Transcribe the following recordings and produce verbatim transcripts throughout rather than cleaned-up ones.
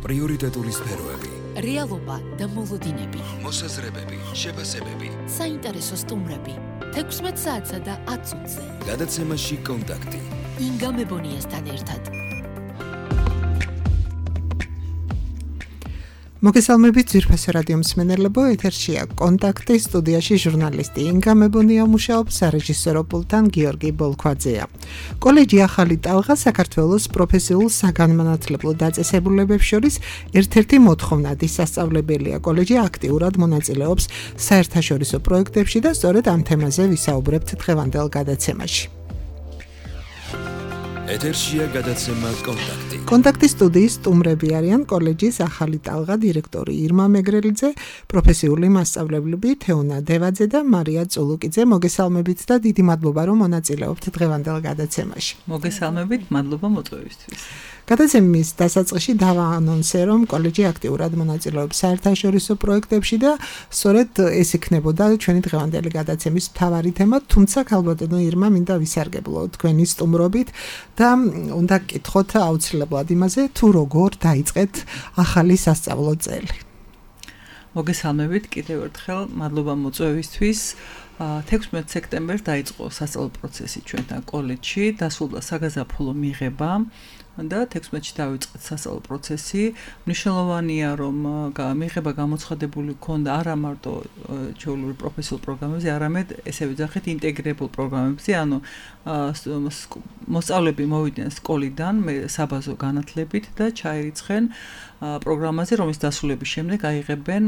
პრიორიტეტული სფეროები, რეალობა და მოლოდინები, მოსაზრებები, შეფასებები, საინტერესო სტუმრები, თექვსმეტ საათსა და ათ წუთზე. გადაცემაში კონტაქტი. ინგა მებონიასთან ერთად. მოგესალმებით ძვირფასო რადიო მსმენელებო, ეთერშია კონტაქტი, სტუდიაში ჟურნალისტი ინგა მებონია მუშაობს, სარეჟისორო პულტთან გიორგი ბოლქვაძეა. კოლეჯი ახალი ტალღა საქართველოს პროფესიულ საგანმანათლებლო დაწესებულებებს შორის ერთ-ერთი მოთხოვნადი სასწავლებელია. კოლეჯი აქტიურად მონაწილეობს საერთაშორისო პროექტებში და სწორედ ამ თემაზე ვისაუბრებთ დღევანდელ გადაცემაში. ეთერშია გადაცემა კონტაქტი. კონტაქტის სტუდიის სტუმრები არიან კოლეჯის ახალი ტალღა დირექტორი ირმა მეგრელიძე, პროფესიული მასწავლებლები თეონა დევაძე და მარია წულუკიძე. მოგესალმებით და დიდი მადლობა რომ მონაწილეობთ დღევანდელ გადაცემაში. მოგესალმებით, მადლობა მოწვევისთვის. გადაცემის დასაწყისში დავაანონსე, რომ კოლეჯი აქტიურად მონაწილეობს საერთაშორისო პროექტებში და სწორედ ეს იქნებოდა ჩვენი დღევანდელი გადაცემის მთავარი თემა, თუმცა ქალბატონო ირმა მინდა ვისარგებლო თქვენი სტუმრობით და უნდა გკითხოთ აუცილებლად იმაზე, თუ როგორ დაიწყეთ ახალი სასწავლო წელი. მოგესალმებით კიდევ ერთხელ, მადლობა მოწვევისთვის. თექვსმეტ სექტემბერს დაიწყო სასწავლო პროცესი ჩვენთან კოლეჯში, დასრულდა საგაზაფხულო მიღება და თექვსმეტში დავიწყეთ სასწავლო პროცესი. მნიშვნელოვანია, რომ მიღება გამოცხადებული ქონდა არა მარტო ჩვეულებრივ პროფესიულ პროგრამებზე, არამედ ესე ვიძახეთ ინტეგრირებულ პროგრამებზე, ანუ მოსწავლეები მოვიდნენ სკოლიდან საბაზო განათლებით და ჩაირიცხენ პროგრამაზე, რომლის დასრულების შემდეგ აიღებენ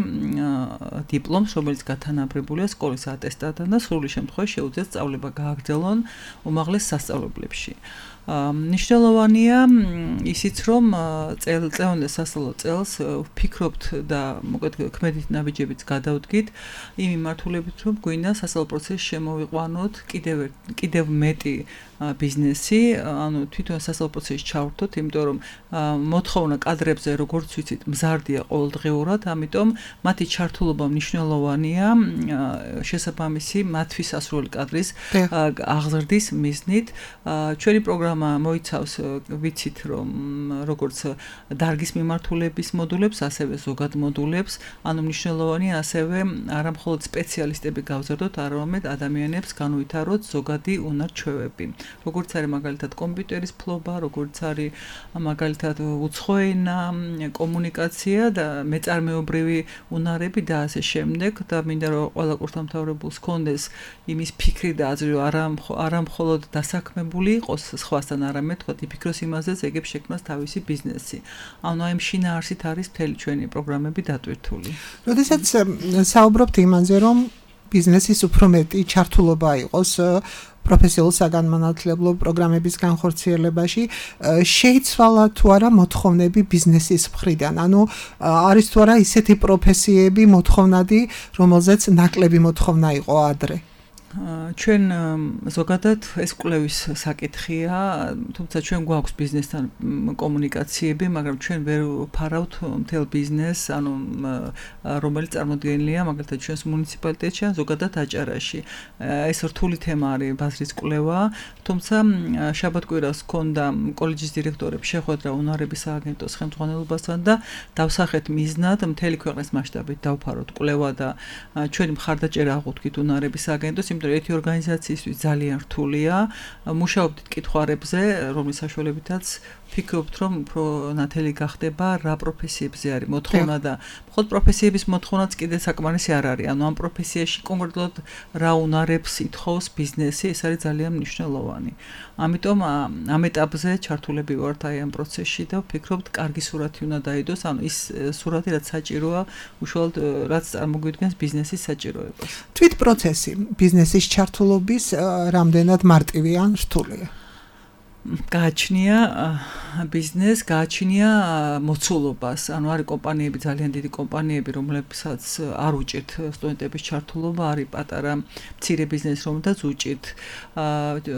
დიპლომს, რომელიც გათანაბრებულია სკოლის ატესტატთან და სრული შემთხვევაში შეუძლიათ სწავლება გააგრძელონ უმაღლეს სასწავლებლებში. მნიშვნელოვანია ისიც, რომ წელწლევანდელ სასწავლო წელს ვფიქრობთ და მოკლედ ქმედით ნაბიჯებიც გადავდგით იმ მიმართულებით, რომ გვინდა სასწავლო პროცესში შემოვიყვანოთ კიდევ კიდევ მეტი ბიზნესი, ანუ თვითონ სასწავლო პროცესში ჩავერთოთ, იმიტომ რომ მოთხოვნა კადრებზე, როგორც ვიცით, მზარდია ყოველდღიურად, ამიტომ მათი ჩართულობა მნიშვნელოვანია შესაბამისი მათთვის ასრული კადრის აღზრდის მიზნით. ჩვენი პროგრამა მოიცავს, ვიცით, რომ როგორც დარგის მიმართულების მოდულებს, ასევე ზოგად მოდულებს, ანუ მნიშვნელოვანია ასევე არა მხოლოდ სპეციალისტები გავზრდოთ, არამედ ადამიანებს განუვითაროთ ზოგადი უნარ-ჩვევები. როგორც არის მაგალითად კომპიუტერის ფლობა, როგორც არის მაგალითად უცხო ენა, კომუნიკაცია და მეწარმეობრივი უნარები და ასე შემდეგ და მინდა რომ ყველა კურსდამთავრებულს ჰქონდეს იმის ფიქრი და აზრი, რომ არა მხოლოდ დასაქმებული იყოს სხვასთან, არამედ თქვა იფიქროს იმაზეც, ეგებ შექმნას თავისი ბიზნესი. ანუ აი შინაარსით არის მთელი ჩვენი პროგრამები დატვირთული. როდესაც საუბრობთ იმაზე, რომ ბიზნესის უფრო მეტი ჩართულობა იყოს პროფესიულ საგანმანათლებლო პროგრამების განხორციელებაში, შეიცვალა თუ არა მოთხოვნები ბიზნესის მხრიდან, ანუ არის თუ არა ისეთი პროფესიები მოთხოვნადი, რომელზეც ნაკლები მოთხოვნა იყო ადრე. ჩვენ ზოგადად ეს კვლევის საკითხია, თუმცა ჩვენ გვაქვს ბიზნესთან კომუნიკაციები, მაგრამ ჩვენ ვერ ვფარავთ მთელ ბიზნესს, ანუ რომელიც წარმოდგენილია მაგალითად ჩვენს მუნიციპალიტეტში ან ზოგადად აჭარაში. ეს რთული თემა არის ბაზრის კვლევა, თუმცა შაბათ-კვირას ჰქონდა კოლეჯის დირექტორებს შეხვედრა უნარების სააგენტოს ხელმძღვანელობასთან და დავსახეთ მიზნად მთელი ქვეყნის მასშტაბით დავფაროთ კვლევა და ჩვენი მხარდაჭერა აღვთქვით უნარების სააგენტოს, იმიტომ ერთი ორგანიზაციისთვის ძალიან რთულია. მუშაობდით კითხვარებზე, რომლის საშუალებითაც ვფიქრობთ, რომ უფრო ნათელი გახდება რა პროფესიებზე არის მოთხოვნა და მხოლოდ პროფესიების მოთხოვნაც კიდე საკმარისი არ არის. ანუ ამ პროფესიაში კონკრეტულად რა უნარებს ითხოვს ბიზნესი, ეს არის ძალიან მნიშვნელოვანი. ამიტომ ამ ეტაპზე ჩართულები ვართ აი ამ პროცესში და ვფიქრობთ, კარგი სურათი უნდა დაიდოს, ანუ ის სურათი, რაც საჭიროა, უშუალოდ რაც წარმოგვიდგენს ბიზნესის საჭიროებას. თვით პროცესი ბიზნესის ჩართულობის რამდენად მარტივი ან რთულია? გააჩნია ბიზნეს, გააჩნია მოცულობას. ანუ არის კომპანიები, ძალიან დიდი კომპანიები, რომლებსაც არ უჭირთ სტუდენტების ჩართულობა, არის პატარა მცირე ბიზნესი, რომელთაც უჭირთ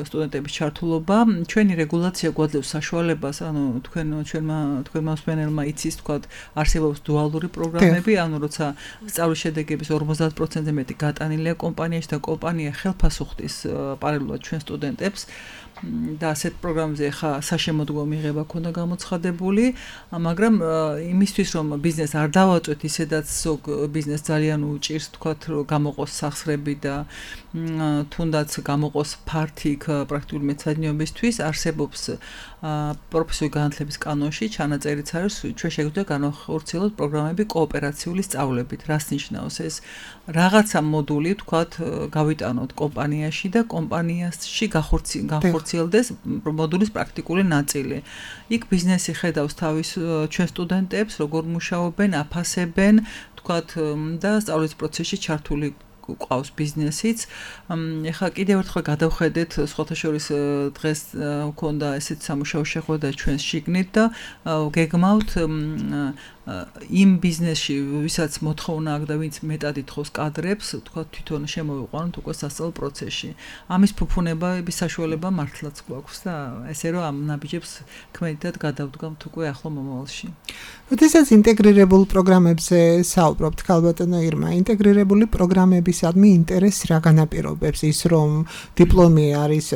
სტუდენტების ჩართულობა. ჩვენი რეგულაცია გვაძლევს საშუალებას, ანუ თქვენ ჩვენმა თქვენმა მსმენელმა იცის, თქვათ, არსებობს დუალური პროგრამები, ანუ როცა სწავლის შედეგების ორმოცდაათ პროცენტზე მეტი გატანილია კომპანიაში და კომპანია ხელფასს უხდის პარალელურად ჩვენ სტუდენტებს. და ასეთ პროგრამებზე ხა საშემოდგომო მიღება ქონდა გამოცხადებული, მაგრამ იმისთვის რომ ბიზნეს არ დავაწვეთ ისედაც ზოგ ბიზნეს ძალიან უჭირს თქვათ რომ გამოყოს სახსრები და თუნდაც გამოყოს ფართი პრაქტიკული მეცადინეობისთვის არსებობს პროფესიული განათლების კანონში ჩანაწერიც არის ჩვენ შეგვიძლია განახორციელოთ პროგრამები კოოპერაციული სწავლებით. რას ნიშნავს ეს? რაღაცა მოდული თქვათ გავიტანოთ კომპანიაში და კომპანიაში განხორციელდეს მოდულის პრაქტიკული ნაწილი. იქ ბიზნესი ხედავს თავის ჩვენ სტუდენტებს, როგორ მუშაობენ, აფასებენ, თქვათ და სწავლის პროცესში ჩართული ყავს ბიზნესიც. ეხლა კიდევ ერთხელ გადავხედეთ, სხვათა შორის დღეს მქონდა ესეთ სამუშაო შეხვედრა ჩვენს შიგნით და გეგმავთ იმ ბიზნესში, ვისაც მოთხოვნა აქვს და ვინც მეტად ითხოვს კადრებს, თქვა თვითონ შემოვიყვანოთ უკვე სასწავლო პროცესში. ამის ფუფუნების საშუალება მართლაც გვაქვს და ესე რომ ამ ნაბიჯებს ქმედითად გადავდგამთ უკვე ახლო მომავალში. როდესაც ინტეგრირებულ პროგრამებზე საუბრობთ, ქალბატონო ირმა, ინტეგრირებული პროგრამებისადმი ინტერესს რა განაპირობებს? ის რომ დიპლომი არის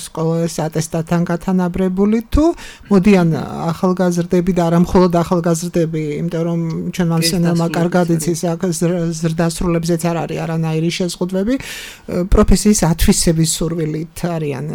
სკოლის ატესტატთან გათანაბრებული თუ მოდიან ახალგაზრდები და არა მხოლოდ ახალგაზრდები, იმიტომ რომ ჩვენ მასენელმა კარგად იცის აქ ზრდასრულებზეც არ არის არანაირი შეზღუდვები, პროფესიის ათვისების სურვილით არიან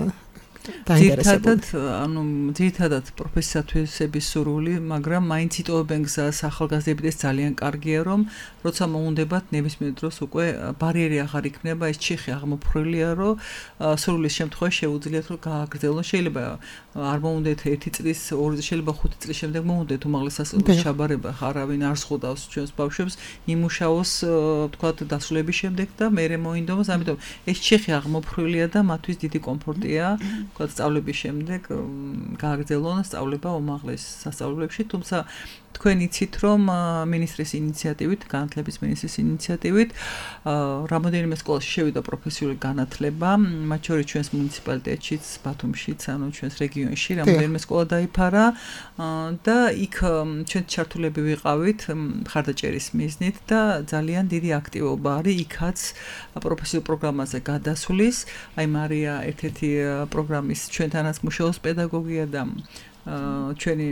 ძირითადად, ანუ ძირითადად პროფესიის ათვისების სურვილი, მაგრამ მაინც იტოვებენ გზას ახალგაზრდებს ძალიან კარგია, რომ როცა მოუნდებათ ნებისმიერ დროს უკვე ბარიერი აღარ იქნება, ეს ჩიხი აღმოფხრილია, რომ სურვილის შემთხვევაში შეუძლიათ რომ გააგრძელონ. შეიძლება არ მოუნდეთ ერთი წლის, ორი შეიძლება ხუთი წლის შემდეგ მოუნდეთ უმაღლესასწავლებლის ჩაბარება, არავინ არ ზღუდავს ჩვენს ბავშვებს იმუშაოს, თქვათ, დასრულების შემდეგ და მერე მოინდომოს, ამიტომ ეს ჩიხი აღმოფხრილია და მათთვის დიდი კომფორტია. თქვათ სწავლების შემდეგ გააგრძელონ სწავლება უმაღლეს სასწავლებლებში, თუმცა თქვენ იცით რომ მინისტრის ინიციატივით, განათლების მინისტრის ინიციატივით რამოდენიმე სკოლაში შევიდა პროფესიული განათლება, მათ შორის ჩვენს მუნიციპალიტეტშიც, ბათუმშიც, ანუ ჩვენს რეგიონში რამოდენიმე სკოლა დაიფარა და იქ ჩვენ ჩართულები ვიყავით მხარდაჭერის მიზნით და ძალიან დიდი აქტივობა არის იქაც პროფესიულ პროგრამაზე გადასვლის. აი მარია ერთ-ერთი პროგრამის ჩვენთანაც მუშაობს პედაგოგია და ჩვენი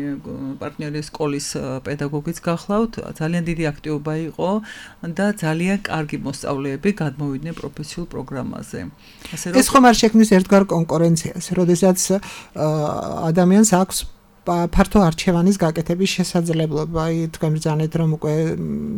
პარტნიორი სკოლის პედაგოგიც გახლავთ, ძალიან დიდი აქტივობა იყო და ძალიან კარგი მოსწავლეები გადმოვიდნენ პროფესიულ პროგრამაზე. ასე რომ ეს ხომ არ შექმნის ერთგვარ კონკურენციას, როდესაც ადამიანს აქვს ფართო არჩევანის გაკეთების შესაძლებლობა. აი თქვენ ბრძანეთ რომ უკვე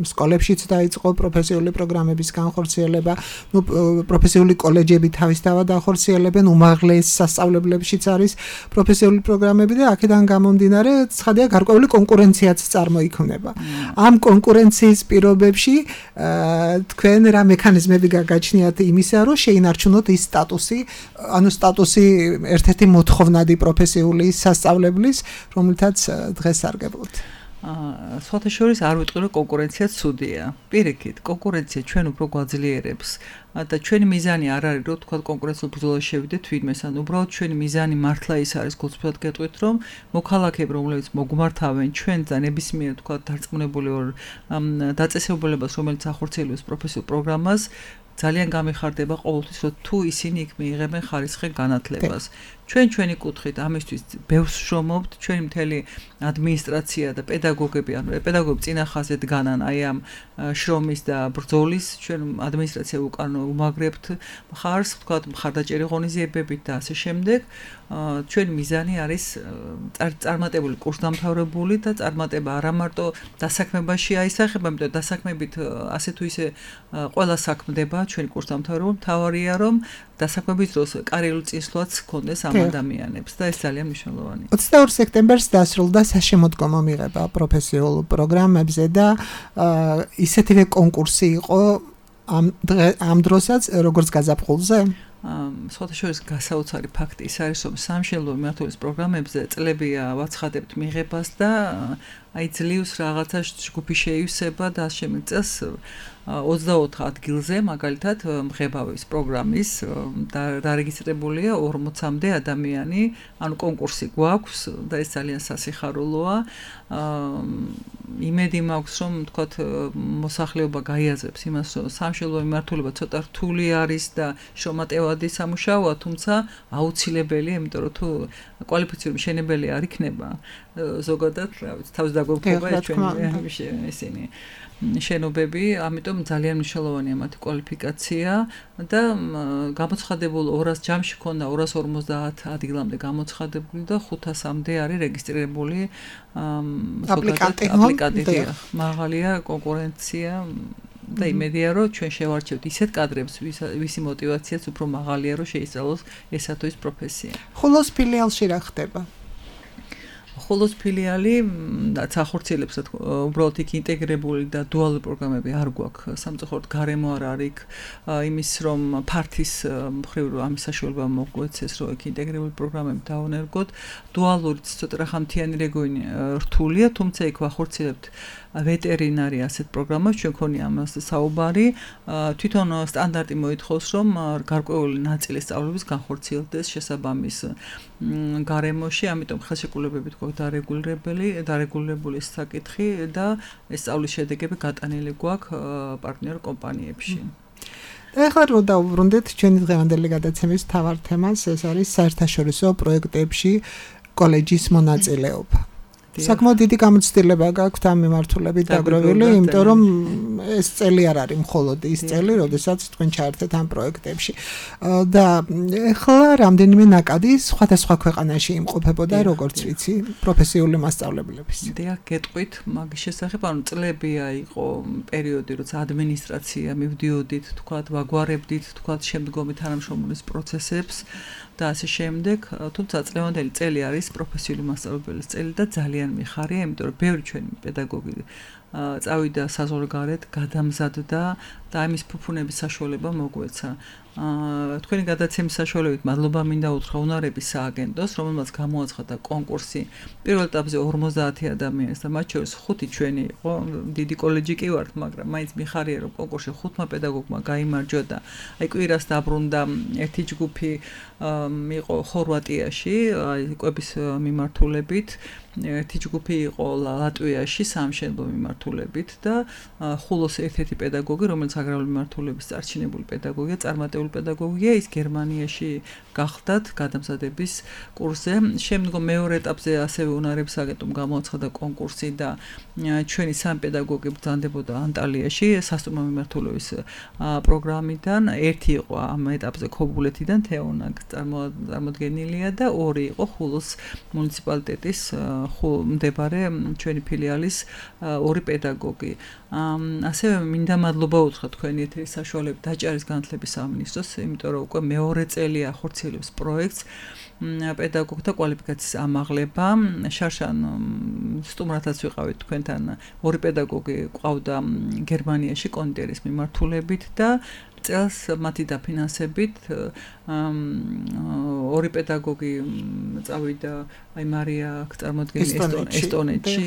სკოლებშიც დაიწყო პროფესიული პროგრამების განხორციელება, ნუ პროფესიული კოლეჯები თავისთავად ახორციელებენ, უმაღლეს სასწავლებლებშიც არის პროფესიული პროგრამები და აქედან გამომდინარე ცხადია გარკვეული კონკურენციაც წარმოიქმნება. ამ კონკურენციის პირობებში თქვენ რა მექანიზმები გაგაჩნიათ იმისა, რომ შეინარჩუნოთ ის სტატუსი, ანუ სტატუსი ერთ-ერთი მოთხოვნადი პროფესიული სასწავლებლის, რომელთაც დღეს სარგებლობთ. აა სხვათა შორის არ ვიტყვი რომ კონკურენცია ცუდია. პირიქით, კონკურენცია ჩვენ უფრო გვაძლიერებს და ჩვენი მიზანი არ არის რომ თქვა კონკურენციულ ბრძოლაში შევიდეთ თვითმეს, ან უბრალოდ ჩვენი მიზანი მართლა ის არის, გულწრფელად გეტყვით, რომ მოქალაქეები, რომლებიც მოგმართავენ ჩვენ და ნებისმიერ თქვა დარწმუნებული ვარ დაწესებულებას, რომელიც ახორციელებს პროფესიულ პროგრამას, ძალიან გამიხარდება ყოველთვის, რომ თუ ისინი იქ მიიღებენ ხარისხიან განათლებას. ჩვენ ჩვენი კუთხით ამისთვის ბევრს შრომობთ, ჩვენი მთელი ადმინისტრაცია და პედაგოგები, ანუ პედაგოგები წინა ხაზზე დგანან აი ამ შრომის და ბრძოლის, ჩვენ ადმინისტრაცია უკან უმაგრებთ მხარს, ვთქვათ, მხარდაჭერი ღონისძიებებით და ასე შემდეგ. ჩვენი მიზანი არის წარმატებული კურსდამთავრებული და წარმატება არა მარტო დასაქმებაში აისახება, იმიტომ დასაქმებით ასე თუ ისე ყველა საქმდება ჩვენი კურსდამთავრებული, მთავარია რომ დასაქმების დროს კარიერულ წინსვლაც ჰქონდეს ამ ადამიანებს და ეს ძალიან მნიშვნელოვანია. ოცდაორ სექტემბერს დასრულდა საშემოდგომო მიღება პროფესიულ პროგრამებზე და ისეთივე კონკურსი იყო ამ ამ დროსაც როგორც გაზაფხულზე? სხვათა შორის გასაოცარი ფაქტი ის არის, რომ სამშენებლო მიმართულის პროგრამებზე წლებია ვაცხადებთ მიღებას და აი ძლივს რაღაცა ჯგუფი შეივსება და შემიწეს ოცდაოთხ ადგილზე, მაგალითად მღებავის პროგრამის დარეგისტრებულია ორმოცამდე ადამიანი, ანუ კონკურსი გვაქვს და ეს ძალიან სასიხარულოა. იმედი მაქვს, რომ თქვათ მოსახლეობა გაიაზრებს იმას, რომ სამშობლო მიმართულება ცოტა რთული არის და შრომატევადი სამუშაოა, თუმცა აუცილებელია, იმიტომ რომ თუ კვალიფიციური მშენებელი არ იქნება, ზოგადად, რა ვიცი, თავს დაგვეფობა ეს ჩვენი ისინი შენობები, ამიტომ ძალიან მნიშვნელოვანია მათი კვალიფიკაცია და გამოცხადებულ ორას ჯამში ქონდა ორას ორმოცდაათ ადგილამდე გამოცხადებული და ხუთასამდე არის რეგისტრირებული აპლიკანტი. აპლიკანტი. მაღალია კონკურენცია და იმედია რომ ჩვენ შევარჩევთ ისეთ კადრებს, ვისი მოტივაციაც უფრო მაღალია რომ შეისწავლოს ესა თუ ის პროფესია. ხულოს ფილიალში რა ხდება? ხოლოს ფილიალი რაც ახორციელებს უბრალოდ იქ ინტეგრებული და დუალური პროგრამები არ გვაქვს სამწუხაროდ გარემო არ არის იმის რომ ფართის მხრივ რომ ამის საშუალება მოგვეცეს რომ იქ ინტეგრებული პროგრამები დავანერგოთ დუალურიც ცოტა რახამთიანი რეგიონი რთულია თუმცა იქ ვახორციელებთ ვეტერინარი ასეთ პროგრამას ჩვენ ქონია ამას საუბარი თვითონ სტანდარტი მოითხოვს რომ გარკვეული ნაწილი სწავლების განხორციელდეს შესაბამის გარემოში ამიტომ ხელშეკრულებებით გვაქვს დარეგულირებული დარეგულირებული საკითხი და ეს სწავლის შედეგები გატანილი გვაქვს პარტნიორ კომპანიებში ეხლა რომ დავუბრუნდეთ ჩვენი დღევანდელი გადაცემის მთავარ თემას ეს არის საერთაშორისო პროექტებში კოლეჯის მონაწილეობა საკმაოდ დიდი გამოცდილება გაქვთ ამ მიმართულებით დაგროვილი, იმიტომ რომ ეს წელი არ არის მხოლოდ ის წელი, როდესაც თქვენ ჩაერთეთ ამ პროექტებში. და ეხლა რამდენიმე ნაკადი სხვადასხვა ქვეყანაში იმყოფებოდა, როგორც ვიცი, პროფესიული მასწავლებლების. დიახ, გეტყვით, მაგის შესახებ, ანუ წლებია იყო პერიოდი, როცა ადმინისტრაცია მივდიოდით, თქვათ, ვაგვარებდით, თქვათ, შემდგომი თანამშრომლობის პროცესებს და ასე შემდეგ, თუმცა წლევანდელი წელი არის პროფესიული მასწავლებლის წელი და ძალიან მიხარია, იმიტომ რომ ბევრი ჩვენი პედაგოგი წავიდა საზღვარგარეთ, გადამზადდა და ამის ფუფუნების საშუალება მოგვეცა. თქვენი გადაცემის საშუალებით მადლობა მინდა უთხრა უნარების სააგენტოს, რომელმაც გამოაცხადა კონკურსი პირველ ეტაპზე ორმოცდაათი ადამიანს და მათ შორის ხუთი ჩვენი იყო, დიდი კოლეჯი კი ვართ, მაგრამ მაინც მიხარია რომ კონკურსში ხუთმა პედაგოგმა გაიმარჯვა და აი კვირას დაბრუნდა ერთი ჯგუფი იყო ხორვატიაში, აი კვების მიმართულებით ერთი ჯგუფი იყო ლატვიაში სამშენებლო მიმართულებით და ხულოს ერთ-ერთი პედაგოგი, რომელიც აგრარული მიმართულების წარჩინებული პედაგოგია, წარმატებული პედაგოგია, ის გერმანიაში გახდათ გადამზადების კურსზე. შემდგომ მეორე ეტაპზე ასევე უნარების აგენტომ გამოაცხადა კონკურსი და ჩვენი სამი პედაგოგი ბრძანდებოდა ანტალიაში სასტუმრო მიმართულების პროგრამიდან. ერთი იყო ამ ეტაპზე ქობულეთიდან თეონა წარმოდგენილია და ორი იყო ხულოს მუნიციპალიტეტის მდებარე ჩვენი ფილიალის ორი პედაგოგი. ასევე მინდა მადლობა უთხრა თქვენი ეთერის საშუალებით დაჭერის განათლების სამინისტროს, იმიტომ რომ უკვე მეორე წელია ახორციელებს პროექტს პედაგოგთა კვალიფიკაციის ამაღლება. შარშან სტუმრათაც ვიყავით თქვენთან ორი პედაგოგი ყავდა გერმანიაში კონდიტერის მიმართულებით და წელს მათი დაფინანსებით ორი პედაგოგი წავიდა აი მარია წარმოადგენს ესტონეთში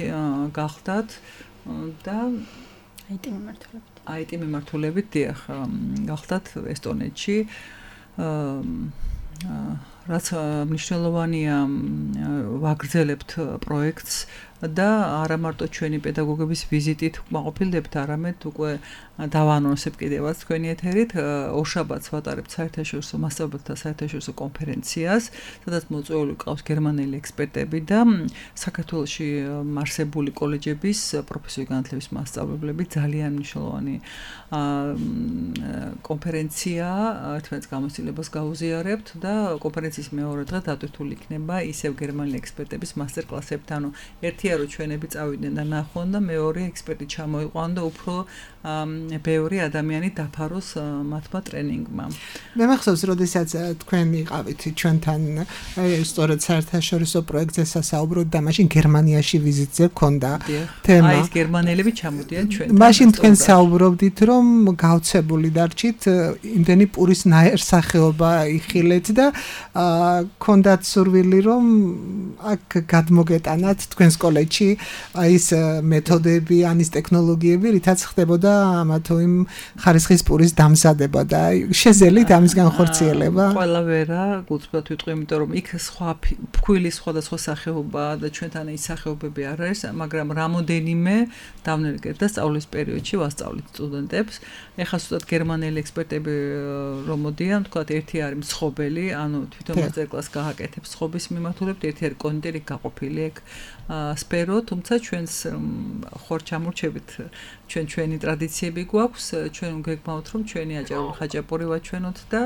გახდათ და აიტი მიმართულებით აიტი მიმართულებით დიახ გახდათ ესტონეთში რაც მნიშვნელოვანია ვაგრძელებთ პროექტს და არა მარტო ჩვენი პედაგოგების ვიზიტით მაყოფილდებთ, არამედ უკვე დავაანონსებ კიდევაც თქვენი ეთერით, ორშაბათს ვატარებთ საერთაშორისო მასწავლებელთა საერთაშორისო კონფერენციას, სადაც მოწვეული ყავს გერმანელი ექსპერტები და საქართველოში არსებული კოლეჯების პროფესიული განათლების მასწავლებლები ძალიან მნიშვნელოვანი კონფერენცია, ერთმანეთს გამოცდილებას გაუზიარებთ და კონფერენციის მეორე დღე დატვირთული იქნება ისევ გერმანელი ექსპერტების მასტერ კლასებთან, ანუ ერთი რომ ჩვენები წავიდნენ და ნახონ და მეორე ექსპერტი ჩამოიყვან და უფრო ბევრი ადამიანი დაფაროს მათმა ტრენინგმა. მე მახსოვს, როდესაც თქვენ იყავით ჩვენთან სწორედ საერთაშორისო პროექტზე სასაუბროდ და მაშინ გერმანიაში ვიზიტზე გქონდა თემა. აი ეს გერმანელები ჩამოდიან ჩვენთან. მაშინ თქვენ საუბრობდით, რომ გავცებული დარჩით, იმდენი პურის ნაერსახეობა იხილეთ და ქონდათ სურვილი რომ აქ გადმოგეტანათ თქვენს კოლეჯში ის მეთოდები, ან ის ტექნოლოგიები, რითაც ხდებოდა ამა თუ იმ ხარისხის პურის დამზადება და შეზელით ამის განხორციელება? ყველა ვერა, გულწრფელად ვიტყვი, იმიტომ რომ იქ სხვა ფქვილის სხვადასხვა სახეობა და ჩვენთან ის სახეობები არ არის, მაგრამ რამოდენიმე დავნერგეთ და სწავლის პერიოდში ვასწავლით სტუდენტებს. ეხლა ზუსტად გერმანელი ექსპერტები რომ მოდიან, თქვათ, ერთი არის მსხობელი, ანუ თვითონ მასტერკლასს გააკეთებს მსხობის მიმართულებით, ერთი არის კონდიტერი გაყოფილი ეგ სფერო, თუმცა ჩვენს ხორ ჩამორჩებით ჩვენ ჩვენი ტრადიციები გვაქვს, ჩვენ გეგმავთ რომ ჩვენი აჭარული ხაჭაპური ვაჩვენოთ და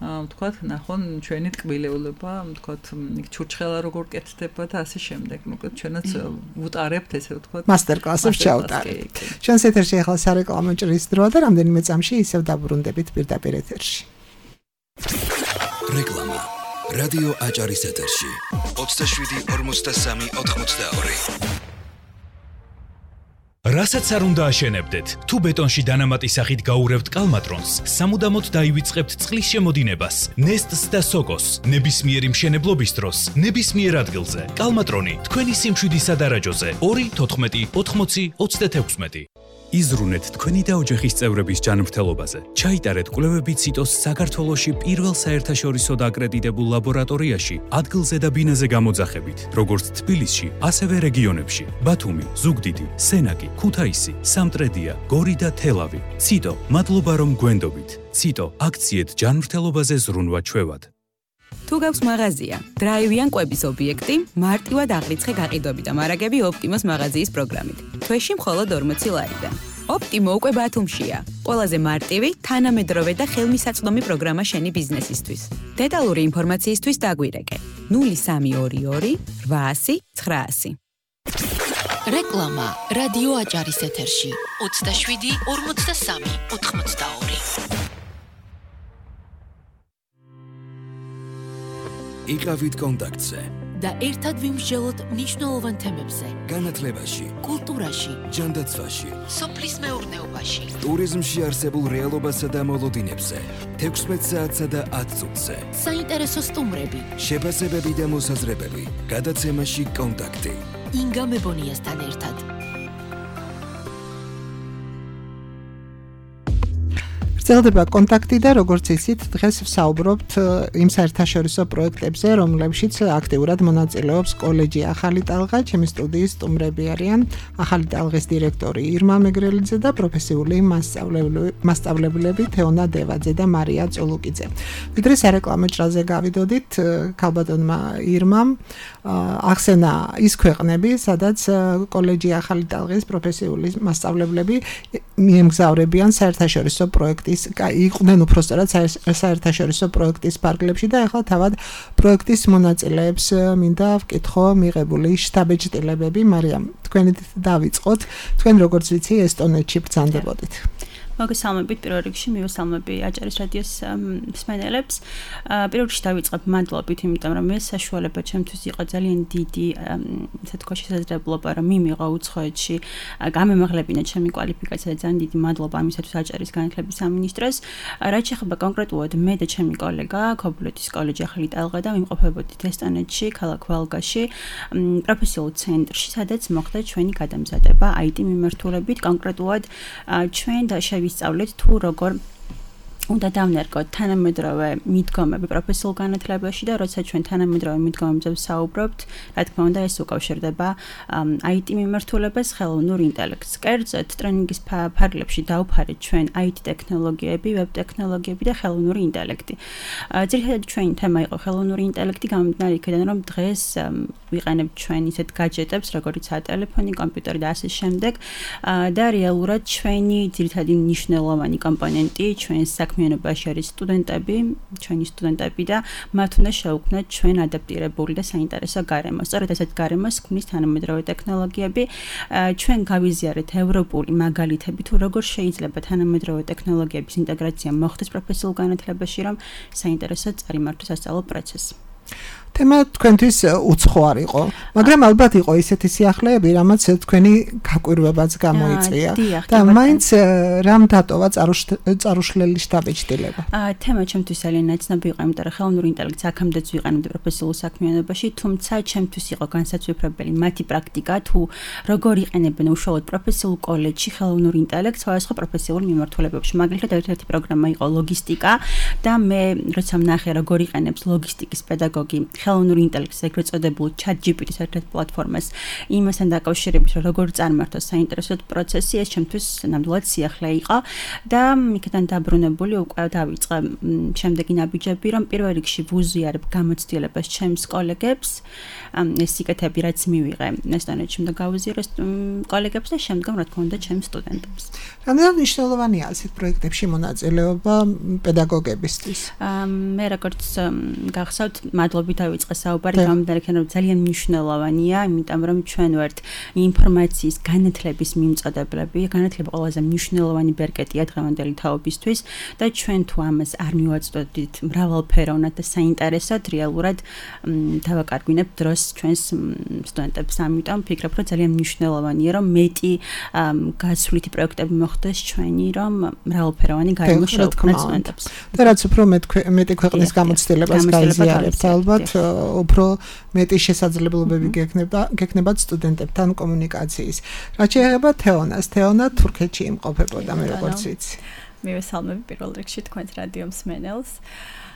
ვთქვათ, ნახონ ჩვენი ტკბილეულობა, ვთქვათ, ჩურჩხელა როგორ კეთდება და ასე შემდეგ. მოკლედ ჩვენაც ვუტარებთ, ესე ვთქვათ, მასტერკლასებს ჩავუტარებთ. ჩვენს ეთერში ახლა სარეკლამო ჭრის დროა და რამდენიმე წამში ისევ დაბრუნდებით პირდაპირ ეთერში. რეკლამა. რადიო აჭარის ეთერში. ოცდაშვიდი ორმოცდასამი ოთხმოცდაორი. რასაც არ უნდა აშენებდეთ, თუ ბეტონში დანამატი სახით გაურევთ კალმატრონს, სამუდამოდ დაივიწყებთ წყლის შემოდინებას, ნესტს და სოკოს, ნებისმიერი მშენებლობის დროს, ნებისმიერ ადგილზე. კალმატრონი, თქვენი სიმშვიდი სადარაჯოზე, ორი თოთხმეტი ოთხმოცი ოცდათექვსმეტი. იზრუნეთ თქვენი და ოჯახის წევრების ჯანმრთელობაზე. ჩაიტარეთ კვლევები ციტოს საქართველოში პირველ საერთაშორისო აკრედიტებულ ლაბორატორიაში, ადგილზე და ბინაზე გამოძახებით, როგორც თბილისში, ასევე რეგიონებში: ბათუმი, ზუგდიდი, სენაკი, ქუთაისი, სამტრედია, გორი და თელავი. ციტო, მადლობა რომ გვენდობით. ციტო, აქციეთ ჯანმრთელობაზე ზრუნვა ჩვევად. თუ გაქვს მაღაზია, დრაივიან კვების ობიექტი, მარტივად აღრიცხე გაყიდვები და მარაგები ოპტიმოს მაღაზიის პროგრამით. თვეში მხოლოდ ორმოცი ლარიდან. ოპტიმო უკვე ბათუმშია. ყველაზე მარტივი, თანამედროვე და ხელმისაწვდომი პროგრამა შენი ბიზნესისთვის. დეტალური ინფორმაციისთვის დაგვირეკე ნული სამი ორი ორი რვაასი ცხრაასი. რეკლამა რადიო აჭარის ეთერში ოცდაშვიდი ორმოცდასამი ოთხმოცდაორი. იყავით კონტაქტზე და ერთად ვიმსჯელოთ მნიშვნელოვან თემებზე: განათლებაში, კულტურაში, ჯანდაცვაში, სოფლის მეურნეობაში, ტურიზმში არსებულ რეალობასა და მოლოდინებზე, თექვსმეტ საათსა და ათ წუთზე. საინტერესო სტუმრები, შეფასებები და მოსაზრებები, გადაცემაში კონტაქტი. ინგა მებონიასთან ერთად. ვრცელდება კონტაქტი და როგორც იცით, დღეს ვსაუბრობთ იმ საერთაშორისო პროექტებზე, რომლებშიც აქტიურად მონაწილეობს კოლეჯი ახალი ტალღა. ჩემი სტუდიის სტუმრები არიან ახალი ტალღის დირექტორი ირმა მეგრელიძე და პროფესიული მასწავლებლები თეონა დევაძე და მარია წულუკიძე. ვიდრე სარეკლამო ჭრაზე გავიდოდით, ქალბატონმა ირმამ ახსენა ის ქვეყნები, სადაც კოლეჯი ახალი ტალღის პროფესიული მასწავლებლები მიემგზავრებიან საერთაშორისო პროექტი იყვნენ უпростоრად საერთაშორისო პროექტის ფარგლებში და ახლა თავად პროექტის მონაწილეებს მინდა ვკითხო მიღებული შტაბეჭდილებები. მარიამ, თქვენით დავიწყოთ. თქვენ როგორც ვიცი ესტონეთში ბრძანდებოდით. მოგესალმებით პირველ რიგში, მივესალმები აჭარის რადიოს მსმენელებს. პირველ რიგში დავიწყებ მადლობით, იმიტომ რომ ეს საშუალება ჩემთვის იყო ძალიან დიდი, ასე თქვა, შესაძლებლობა, რომ მიმიღო უცხოეთში გამემაღლებინა ჩემი კვალიფიკაცია და ძალიან დიდი მადლობა ამისათვის აჭარის განათლების სამინისტროს. რაც შეეხება კონკრეტულად მე და ჩემი კოლეგა, ქობულეთის კოლეჯი ახალი ტალღა და ვიმყოფებოდით ესტონეთში, ქალაქ ვალგაში, პროფესიულ ცენტრში, სადაც მოხდა ჩვენი გადამზადება აი ტი მიმართულებით, კონკრეტულად ჩვენ და ვისწავლეთ თუ როგორ უნდა დავნერგოთ თანამედროვე მიდგომები პროფესიულ განათლებაში და როცა ჩვენ თანამედროვე მიდგომებზე ვსაუბრობთ, რა თქმა უნდა, ეს უკავშირდება აი ტი მიმართულებას, ხელოვნურ ინტელექტს. კერძოდ, ტრენინგის ფარგლებში დავფარეთ ჩვენ აი ტი ტექნოლოგიები, ვებ ტექნოლოგიები და ხელოვნური ინტელექტი. ძირითადად ჩვენი თემა იყო ხელოვნური ინტელექტი, გამომდინარე იქიდან, რომ დღეს ვიყენებთ ჩვენ ისეთ гаджеტებს, როგორიცაა ტელეფონი, კომპიუტერი და ასე შემდეგ, და რეალურად ჩვენი ძირითადი მნიშვნელოვანი კომპონენტი ჩვენს საქმიანობაში არის სტუდენტები, ჩვენი სტუდენტები და მათ უნდა შევქმნათ ჩვენ ადაპტირებული და საინტერესო გარემო. სწორედ ასეთ გარემოს ქმნის თანამედროვე ტექნოლოგიები. ჩვენ გავიზიარეთ ევროპული მაგალითები თუ როგორ შეიძლება თანამედროვე ტექნოლოგიების ინტეგრაცია მოხდეს პროფესიულ განათლებაში, რომ საინტერესო წარიმართოს სასწავლო პროცესი. თემა თქვენთვის უცხო არ იყო, მაგრამ ალბათ იყო ისეთი სიახლეები, რამაც თქვენი გაკვირვებაც გამოიწვია და მაინც რამ დატოვა წარუშლელი შტაბეჭდილება. აა თემა ჩემთვის ძალიან ნაცნობი იყო, იმიტომ რომ ხელოვნური ინტელექტს აქამდეც ვიყენებდი პროფესიულ საქმიანობაში, თუმცა ჩემთვის იყო განსაცვიფრებელი მათი პრაქტიკა, თუ როგორ იყენებენ უშუალოდ პროფესიულ კოლეჯში ხელოვნურ ინტელექტს სხვადასხვა პროფესიულ მიმართულებებში. მაგალითად, ერთ-ერთი პროგრამა იყო ლოგისტიკა და მე როცა ვნახე როგორ იყენებს ლოგისტიკის პედაგოგი ხელოვნურ ინტელექტს, ეგრეთ წოდებულ ChatGPT-ს ერთ-ერთ პლატფორმას, იმასთან დაკავშირებით, რომ როგორ წარმართოს საინტერესო პროცესი, ეს ჩემთვის ნამდვილად სიახლე იყო და იქიდან დაბრუნებული უკვე დავიწყე შემდეგი ნაბიჯები, რომ პირველ რიგში ვუზიარებ გამოცდილებას ჩემს კოლეგებს, ეს სიკეთები რაც მივიღე ესტონეთში და გავუზიარეს კოლეგებს და შემდგომ რა თქმა უნდა ჩემს სტუდენტებს. რამდენად მნიშვნელოვანია ასეთ პროექტებში მონაწილეობა პედაგოგებისთვის? მე როგორც გახსოვთ, მადლობით დავიწყე საუბარი, გამომდინარე იქიდან რომ ძალიან მნიშვნელოვანია, იმიტომ რომ ჩვენ ვართ ინფორმაციის განათლების მიმწოდებლები, განათლება ყველაზე მნიშვნელოვანი ბერკეტია დღევანდელი თაობისთვის და ჩვენ თუ ამას არ მივაწოდით მრავალფეროვნად და საინტერესოდ, რეალურად დავაკარგვინებ დროს ჩვენს სტუდენტებს. ამიტომ ვფიქრობ, რომ ძალიან მნიშვნელოვანია, რომ მეტი გასვლითი პროექტები მოხდეს ჩვენი, რომ მრავალფეროვანი გარემო შეუქმნას სტუდენტებს. და რაც უფრო მეტი ქვეყნის გამოცდილებას გაიზიარებთ, ალბათ უფრო მეტი შესაძლებლობები გექნება გექნებათ სტუდენტებთან კომუნიკაციის. რაც შეეხება თეონას, თეონა თურქეთში იმყოფებოდა, მე როგორც ვიცი. მივესალმები პირველ რიგში თქვენს რადიო მსმენელს.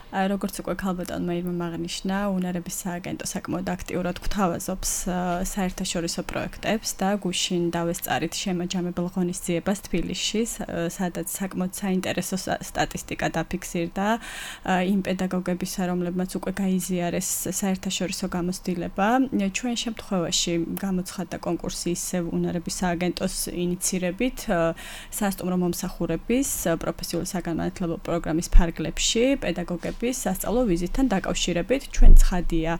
როგორც უკვე ქალბატონმა ირმა აღნიშნა, უნარების სააგენტო საკმაოდ აქტიურად გვთავაზობს საერთაშორისო პროექტებს და გუშინ დავესწარით შემაჯამებელ ღონისძიებას თბილისში, სადაც საკმაოდ საინტერესო სტატისტიკა დაფიქსირდა იმ პედაგოგებისა, რომლებმაც უკვე გაიზიარეს საერთაშორისო გამოცდილება. ჩვენ შემთხვევაში გამოცხადდა კონკურსი ისევ უნარების სააგენტოს ინიცირებით სასტუმრო მომსახურების პროფესიული საგანმანათლებლო პროგრამის ფარგლებში პედაგოგები სასწავლო ვიზიტთან დაკავშირებით. ჩვენ ცხადია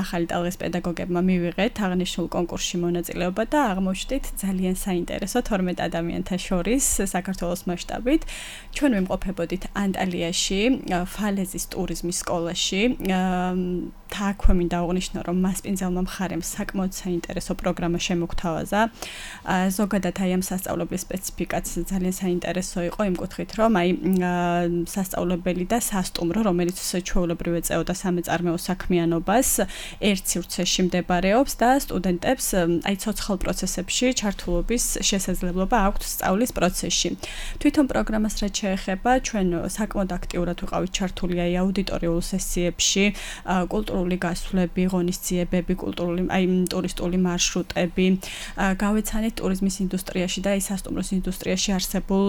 ახალი ტალღის პედაგოგებმა მივიღეთ აღნიშნულ კონკურსში მონაწილეობა და აღმოჩნდით ძალიან საინტერესო თორმეტ ადამიანთა შორის საქართველოს მასშტაბით. ჩვენ ვიმყოფებოდით ანტალიაში, ფალეზის ტურიზმის სკოლაში. თაქვე მინდა აღნიშნო, რომ მასპინძელმა მხარემ საკმაოდ საინტერესო პროგრამა შემოგთავაზა. ზოგადად აი ამ სასწავლებლის სპეციფიკაც ძალიან საინტერესო იყო იმ კუთხით, რომ აი სასწავლებელი და სასტუმრო, რომელიც ჩვეულებრივ ეწეოდა სამეწარმეო საქმიანობას, ერთ სივრცეში მდებარეობს და სტუდენტებს აი ცოცხალ პროცესებში ჩართულობის შესაძლებლობა აქვთ სწავლის პროცესში. თვითონ პროგრამას რაც შეეხება, ჩვენ საკმაოდ აქტიურად ვიყავით ჩართული აი აუდიტორიულ სესიებში, კულტურული გასვლები, ღონისძიებები, კულტურული აი ტურისტული მარშრუტები, გავეცანით ტურიზმის ინდუსტრიაში და აი სასტუმროს ინდუსტრიაში არსებულ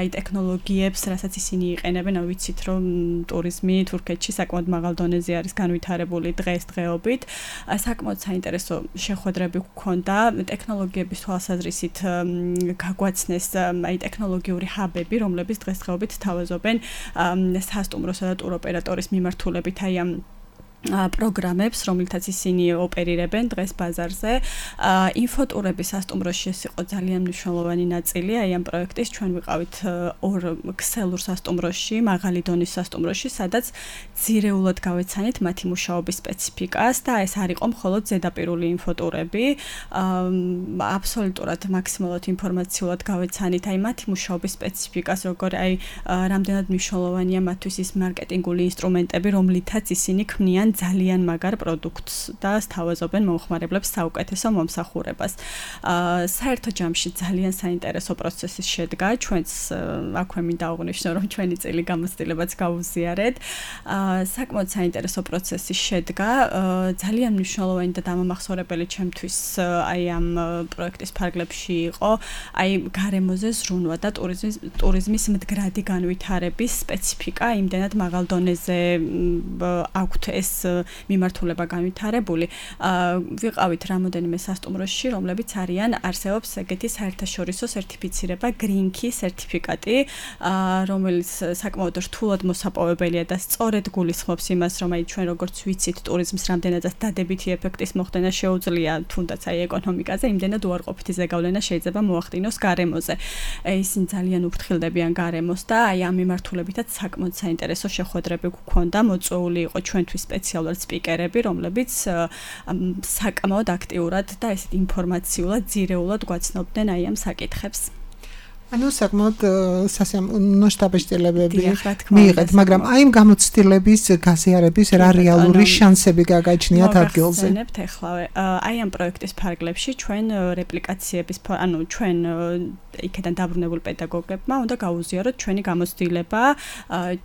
აი ტექნოლოგიებს, რასაც ისინი იყენებენ, აი ვიცით რომ ტურიზმი თურქეთში საკმაოდ მაღალ დონეზე არის განვითარებული დღესდღეობით. საკმაოდ საინტერესო შეხვედრები გვქონდა ტექნოლოგიების თვალსაზრისით გაგვაცნეს აი ტექნოლოგიური ჰაბები, რომლებიც დღესდღეობით თავაზობენ სასტუმროსა და ტუროპერატორის მიმართულებით აი ამ პროგრამებს, რომელთაც ისინი ოპერირებენ დღეს ბაზარზე. ინფოტურები სასტუმროში ეს იყო ძალიან მნიშვნელოვანი ნაწილი აი ამ პროექტის. ჩვენ ვიყავით ორ ქსელურ სასტუმროში, მაღალი დონის სასტუმროში, სადაც ძირეულად გავეცანით მათი მუშაობის სპეციფიკას და ეს არ იყო მხოლოდ ზედაპირული ინფოტურები. აბსოლუტურად მაქსიმალურად ინფორმაციულად გავეცანით აი მათი მუშაობის სპეციფიკას, როგორ აი რამდენად მნიშვნელოვანია მათთვის ის მარკეტინგული ინსტრუმენტები, რომლითაც ისინი ქმნიან ძალიან მაგარ პროდუქტს და სთავაზობენ მომხმარებლებს საუკეთესო მომსახურებას. საერთო ჯამში ძალიან საინტერესო პროცესი შედგა. ჩვენც აქვე მინდა აღვნიშნო, რომ ჩვენი წელი გამოცდილებაც გავუზიარეთ. საკმაოდ საინტერესო პროცესი შედგა. ძალიან მნიშვნელოვანი და დამამახსოვრებელი ჩემთვის აი ამ პროექტის ფარგლებში იყო აი გარემოზე ზრუნვა და ტურიზმის ტურიზმის მდგრადი განვითარების სპეციფიკა. იმდენად მაღალ დონეზე აქვთ ეს მიმართულება განვითარებული. ვიყავით რამოდენიმე სასტუმროში, რომლებიც არიან არსებობს ეგეთი საერთაშორისო სერტიფიცირება Green Key სერტიფიკატი, რომელიც საკმაოდ რთულად მოსაპოვებელია და სწორედ გულისხმობს იმას, რომ აი ჩვენ როგორც ვიცით, ტურიზმის რამდენადაც დადებითი ეფექტის მოხდენა შეუძლია, თუნდაც აი ეკონომიკაზე, იმდენად უარყოფითი ზეგავლენა შეიძლება მოახდინოს გარემოზე. ისინი ძალიან უფრთხილდებიან გარემოს და აი ამ მიმართულებითაც საკმაოდ საინტერესო შეხვედრები გვქონდა, მოწვეული იყო ჩვენთვის სპეციალურად სპიკერები, რომლებიც საკმაოდ აქტიურად და ესეთ ინფორმაციულად, ძირეულად გვაცნობდნენ აი ამ საკითხებს. ანუ საკმაოდ მასშტაბებები მიიღეთ, მაგრამ აი ამ გამოცდილების გაზიარების რა რეალური შანსები გაგაჩნიათ ადგილზე? მოგხსენებთ ეხლავე. აი ამ პროექტის ფარგლებში ჩვენ რეპლიკაციების, ანუ ჩვენ იქიდან დაბრუნებულ პედაგოგებმა უნდა გაუზიაროთ ჩვენი გამოცდილება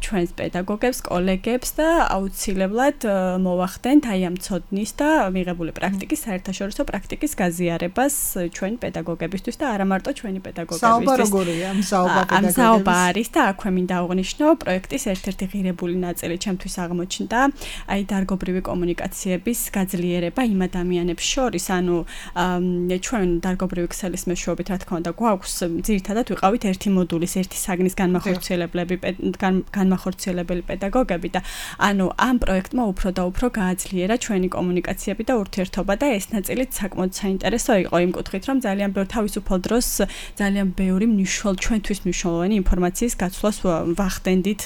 ჩვენს პედაგოგებს, კოლეგებს და აუცილებლად მოვახდენთ აი ამ ცოდნის და მიღებული პრაქტიკის, საერთაშორისო პრაქტიკის გაზიარებას ჩვენ პედაგოგებისთვის და არა მარტო ჩვენი პედაგოგებისთვის. როგორია მსაუბა პედაგოგების? მსაუბა არის და აქვე მინდა აღვნიშნო პროექტის ერთ-ერთი ღირებული ნაწილი ჩემთვის აღმოჩნდა აი დარგობრივი კომუნიკაციების გაძლიერება იმ ადამიანებს შორის, ანუ ჩვენ დარგობრივი ქსელის მეშვეობით რა თქმა უნდა გვაქვს ძირითადად ვიყავით ერთი მოდულის, ერთი საგნის განმახორციელებლები, განმახორციელებელი პედაგოგები და ანუ ამ პროექტმა უფრო და უფრო გააძლიერა ჩვენი კომუნიკაციები და ურთიერთობა და ეს ნაწილიც საკმაოდ საინტერესო იყო იმ კუთხით, რომ ძალიან ბევრ თავისუფალ დროს ძალიან ბევრი მნიშვნელოვანი ჩვენთვის მნიშვნელოვანი ინფორმაციის გაცვლას ვახდენდით,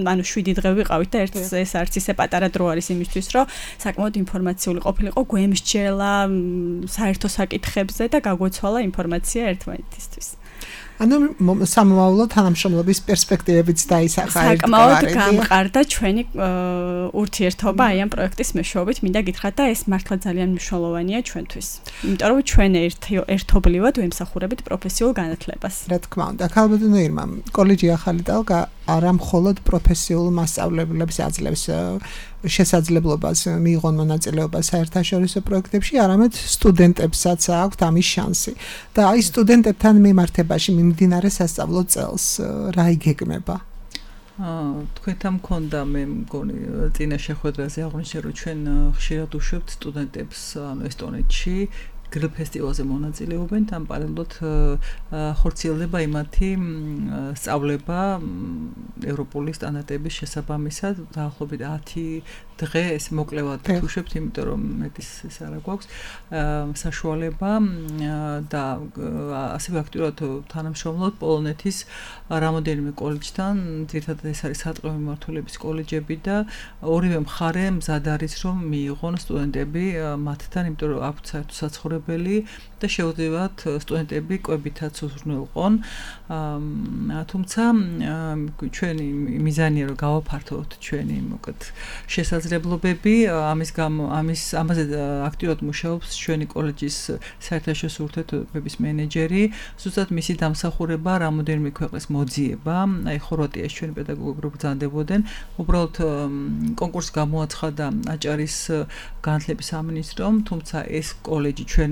ანუ შვიდი დღე ვიყავით და ერთ ეს არც ისე პატარა დრო არის იმისთვის, რომ საკმაოდ ინფორმაციული ყოფილიყო, გვემსჯელა საერთო საკითხებზე და გაგვეცვალა ინფორმაცია ერთმანეთისთვის. ანუ სამომავლო თანამშრომლობის პერსპექტივებიც დაისახა ერთგვარად. საკმაოდ გამყარდა ჩვენი ურთიერთობა აი ამ პროექტის მეშვეობით, მინდა გითხრათ და ეს მართლა ძალიან მნიშვნელოვანია ჩვენთვის. იმიტომ რომ ჩვენ ერთობლივად ვემსახურებით პროფესიულ განათლებას. რა თქმა უნდა, ქალბატონო ირმა, კოლეჯი ახალი ტალღა არა მხოლოდ პროფესიულ მასწავლებლებს აძლევს შესაძლებლობას მიიღონ მონაწილეობა საერთაშორისო პროექტებში, არამედ სტუდენტებსაც აქვთ ამის შანსი. და აი სტუდენტებთან მიმართებაში მიმდინარე სასწავლო წელს რა იგეგმება? აა თქვენთან მქონდა მე მგონი წინა შეხვედრაზე აღვნიშნე, რომ ჩვენ ხშირად უშვებთ სტუდენტებს ანუ ესტონეთში გრილ ფესტივალზე მონაწილეობენ, თან პარალელურად ხორციელდება იმათი სწავლება ევროპული სტანდარტების შესაბამისად, დაახლოებით ათი დღე ეს მოკლევად ვუშვებთ, იმიტომ რომ მეტის ეს არა გვაქვს საშუალება და ასევე აქტიურად თანამშრომლობთ პოლონეთის რამოდენიმე კოლეჯთან, ძირითადად ეს არის სატყეო მიმართულების კოლეჯები და ორივე მხარე მზად არის რომ მიიღონ სტუდენტები მათთან, იმიტომ რომ აქვთ საერთო საცხოვრებელი და შეუძლიათ სტუდენტები კვებითაც უზრუნველყონ. თუმცა ჩვენი მიზანია რომ გავაფართოვოთ ჩვენი მოკლედ შესაძლებლობები, ამის გამო ამის ამაზე აქტიურად მუშაობს ჩვენი კოლეჯის საერთაშორისო ურთიერთობების მენეჯერი, ზუსტად მისი დამსახურება რამოდენიმე ქვეყნის მოძიება, აი ხორვატიაში ჩვენი პედაგოგები რო ბრძანდებოდნენ, უბრალოდ კონკურსი გამოაცხადა აჭარის განათლების სამინისტრომ, თუმცა ეს კოლეჯი ჩვენ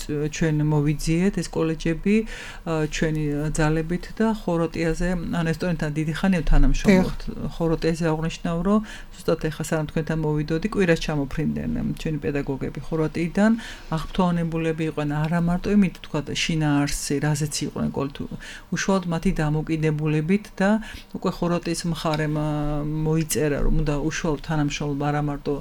ჩვენ მოვიძიეთ ეს კოლეჯები ჩვენი ძალებით და ხორვატიაზე ან ესტონეთთან დიდი ხანია თანამშრომლობთ. ხორვატიაზე აღნიშნავ, რომ ზუსტად ეხლა სანამ თქვენთან მოვიდოდი, კვირას ჩამოფრინდნენ ჩვენი პედაგოგები ხორვატიიდან, აღფრთოვანებულები იყვნენ არა მარტო იმით თქვა შინაარსი, რაზეც იყვნენ უშუალოდ მათი დამოკიდებულებით და უკვე ხორვატიის მხარემ მოიწერა, რომ უნდა უშუალოდ თანამშრომლობა არა მარტო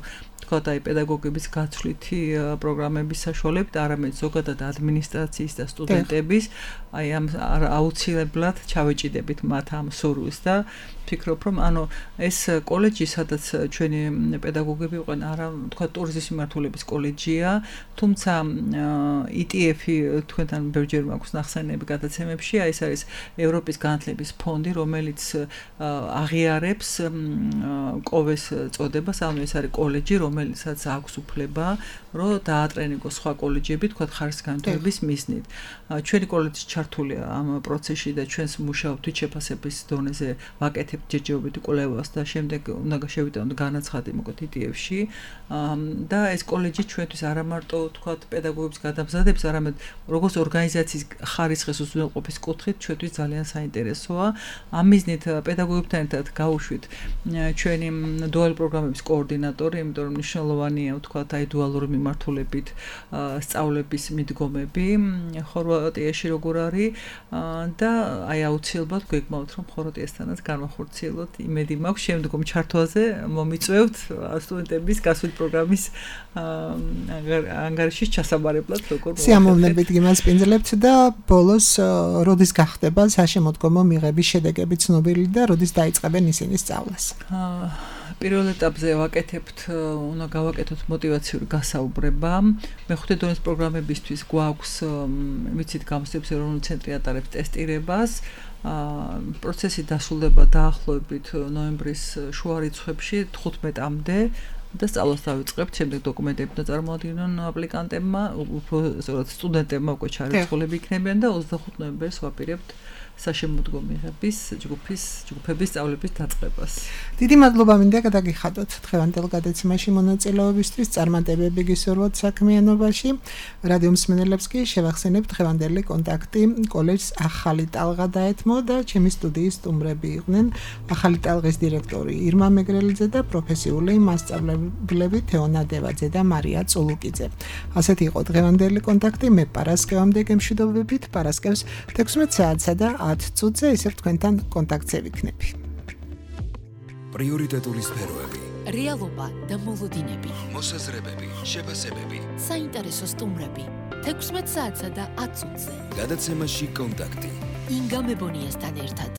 თქვა აი პედაგოგების გაცვლითი პროგრამების საშუალებით, არამედ ზოგადად ადმინისტრაციის და სტუდენტების აი ამ აუცილებლად ჩავეჭიდებით მათ ამ სურვილს და ვფიქრობ, რომ ანუ ეს კოლეჯი, სადაც ჩვენი პედაგოგები იყვნენ, არა თქვა ტურიზმის მიმართულების კოლეჯია, თუმცა ი ტი ეფ-ი თქვენთან ბევრჯერ მაქვს ნახსენები გადაცემებში, აი ეს არის ევროპის განათლების ფონდი, რომელიც აღიარებს კოვეს წოდებას, ანუ ეს არის კოლეჯი, რომელსაც აქვს უფლება, რომ დაატრენინგოს სხვა კოლეჯები, თქვა ხარისხგანათლების მიზნით. ჩვენი კოლეჯი ჩართულია ამ პროცესში და ჩვენს მუშაობთ შეფასების დონეზე, ვაკეთებთ ჯერჯერობით კვლევას და შემდეგ უნდა შევიტანოთ განაცხადი მოკლედ ი ტი ეფ-ში და ეს კოლეჯი ჩვენთვის არა მარტო თქვა პედაგოგების გადამზადებს, არამედ როგორც ორგანიზაციის ხარისხის უზრუნველყოფის კუთხით ჩვენთვის ძალიან საინტერესოა. ამ მიზნით პედაგოგებთან ერთად გავუშვით ჩვენი დუალ პროგრამების კოორდინატორი, იმიტომ რომ მნიშვნელოვანია თქვა აი დუალური მიმართულებით სწავლების მიდგომები ხორვატიაში როგორ არის და აი აუცილებლად გვეგმავთ რომ ხორვატიასთანაც განვახორციელოთ. იმედი მაქვს შემდგომ ჩართვაზე მომიწვევთ სტუდენტების გასული პროგრამის ანგარიშის ჩასაბარებლად როგორ სიამოვნებით გიმასპინძლებთ და ბოლოს როდის გახდება საშემოდგომო მიღების შედეგები ცნობილი და როდის დაიწყებენ ისინი სწავლას? პირველ ეტაპზე ვაკეთებთ, უნდა გავაკეთოთ мотиваციური გასაუბრება. მეხუთე დონის პროგრამებისთვის გვაქვს, ვიცით, გამოცდების ეროვნული ცენტრი ატარებს ტესტირებას. პროცესი დასრულდება დაახლოებით ნოემბრის შუა რიცხვებში თხუთმეტამდე და სწავლას დავიწყებთ, შემდეგ დოკუმენტები და წარმოადგინონ აპლიკანტებმა, უფრო სწორად სტუდენტებმა უკვე ჩარიცხულები იქნებიან და ოცდახუთი ნოემბერს ვაპირებთ საშემოდგომო მიღების ჯგუფის ჯგუფების სწავლების დაწყებას. დიდი მადლობა მინდა გადაგიხადოთ დღევანდელ გადაცემაში მონაწილეობისთვის, წარმატებები გისურვოთ საქმიანობაში. რადიო მსმენელებს კი შევახსენებთ დღევანდელი კონტაქტი კოლეჯს ახალი ტალღა დაეთმო და ჩემი სტუდიის სტუმრები იყვნენ ახალი ტალღის დირექტორი ირმა მეგრელიძე და პროფესიული მასწავლებლები თეონა დევაძე და მარია წულუკიძე. ასეთი იყო დღევანდელი კონტაქტი. მე პარასკევამდე გემშვიდობებით, პარასკევს თექვსმეტ საათსა და ათ წუთზე ისევ თქვენთან კონტაქტზე ვიქნები. პრიორიტეტული სფეროები, რეალობა და მოლოდინები, მოსაზრებები, შეფასებები, საინტერესო სტუმრები, თექვსმეტ საათსა და ათ წუთზე. გადაცემაში კონტაქტი. ინგა მებონიასთან ერთად.